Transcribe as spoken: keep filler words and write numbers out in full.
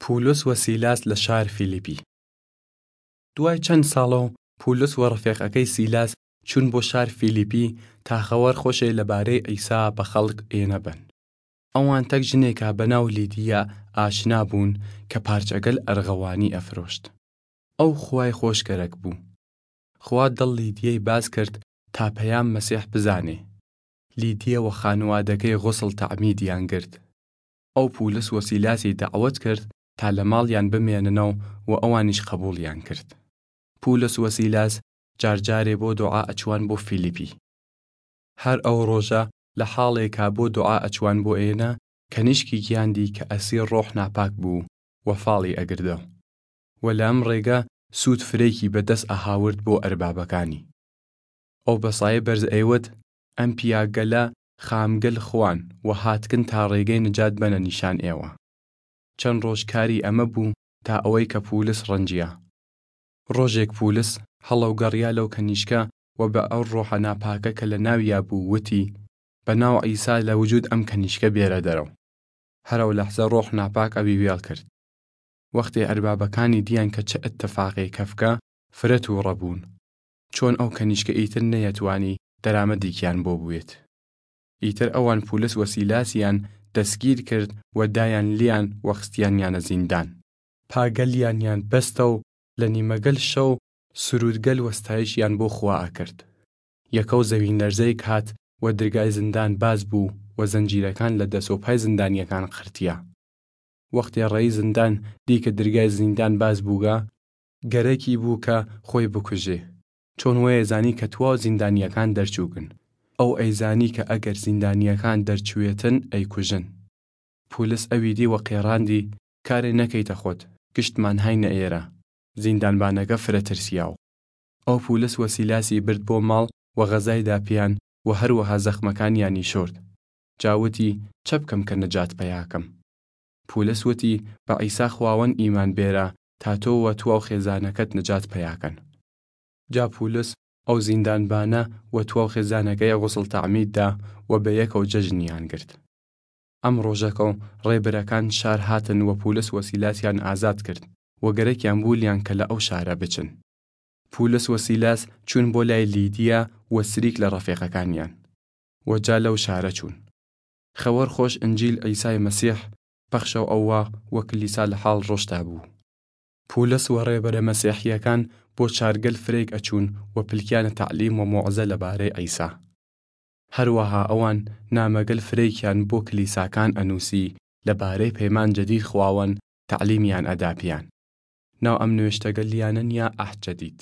پولس و سیلاس لە شار فیلیپی. دوای چەن ساڵەو، پولس و ڕەفێقەکەی سیلاس چوون بۆ شار فیلیپی تا خەوەر خوەشێ لەبارەی عیسا بە خەڵک ئێنە بەن. ئەوان تەک ژنێکا بەناو لیدیا ئاشنا بوون کە پارچەگەل ئەرغەوانی ئەفرۆشت. ئەو خوای خوەش گەرەک بوو. خوا دڵ لیدیەی باز کرد تا پەیام مەسیح بزانێ. لیدیە و خانوادەکەی غوسڵ تەعمیدیان گرت. ئەو پولس و سیلاسی دەعوەت کرد تا لە ماڵیان بمێننەو و ئەوانیش قەبوڵیان کرد. پولس و سیلاس جارجارێ بۆ دوعا ئەچوان بۆ فیلیپی. هەر ئەو ڕۆژە لە حاڵێکا بۆ دوعا ئەچوان بۆ ئێنە، کەنیشکیگیان دی کە ئەسیر ڕۆح ناپاک بوو و فاڵی ئەگردەو. و لە ئەم ڕێگە سوود فرەیکی بەدەس ئەهاورد بۆ ئەربابەکانی. ئەو بەسایە بەرز ئەیوت، ئەم پیاگەلە خامگەل خوان و هاتکن تا ڕێگەی نجات بەنە نیشان ئێوە. چەن ڕۆژ کاری ئەمە بوو تا ئەوەی کە پولس ڕەنجیا. ڕۆژێک پولس هەڵەوگەڕیا لەو کەنیشکە و بە ئەو ڕۆحە ناپاکە کە لە ناویا بوو وتی، بە ناو عیسا لە وجود ئەم کەنیشکە بێرە دەرەو. هەر ئەو لەحزە ڕۆح ناپاک ئەوی وێڵ کرد. وەختێ ئەربابەکانی دیان کە چ ئەتفاقێ کەفکە، فرە تووڕە بوون. چۆن ئەو کەنیشکە ئیتر نەیەتوانی دەرامەدیکیان بۆ بوێت. ئیتر ئەوان پولس و سیلاسیان دەسگیر کرد و دایان لیان و خستیانیانە زیندان. پاگەلیانیان بەستەو لە نیمەگەل شەو سرودگەل و ستایشیان بۆ خوا ئەکرد. یەکەو زەوین لەرزەیگ هات و درگای زندان باز بوو و زەنجیرەکان لە دەس و پای زندانیەکان قرتیا. وەختێ ڕەئی زندان دی کە درگای زیندان باز بووگە، گەرەکی بوو کە خوەی بکوژێ، چۆن وەیەزانی کە تواو زیندانیەکان دەرچووگن. ئەو ئەیزانی کە ئەگەر زیندانیەکان دەرچوێتن ئەیکوژن. پولس ئەوی دی و قێڕاندی، کارێ نەکەیتە خوەد، گشتمان هاینە ئێرە. زیندانبانەگە فرە ترسیاو. ئەو پولس و سیلاسی برد بۆ ماڵ و غەزای دا پیان و هەروەها زەخمەکانیانی شۆرد. جا وتی، چە بکەم کە نەجات پەیا کەم؟ پولس وتی، بە عیسا خواوەن ئیمان بێرە تا تۆ و تواو خێزانەکەت نەجات پەیا کەن. جا پولس ئەو زیندانبانە و تواو خێزانەکەی غوسڵ تەعمید دا و بە یەکەو جەژنیان گرت. ئەم ڕۆژەکەو ڕێبرەکان شار هاتن و پولس و سیلاسیان ئازاد کرد و گەرەکیان بوو لیان کە لە ئەو شارە بچن. پولس و سیلاس چوون بۆ لای لیدیا و سریک لە ڕەفێقەکانیان و جا لەو شارە چوون. خەوەر خوەش ئنجیل عیسای مەسیح پەخشەو ئەوا و کلیسا لە حاڵ ڕۆشتا بوو. پولس و ڕێبەرە مەسیحیەکان بۆ چارگەل فرەیگ ئەچوون و پلکیانە تەعلیم و موعزە لە بارەی عیسا. هەروەها ئەوان نامەگەل فرەیکیان بۆ کلیساکان ئەنووسی لە بارەی پەیمان جەدید خواوەن تەعلیمیان ئەدا پیان. ناو ئەم نوێشتەگە لیانە نیا عەهد جەدید.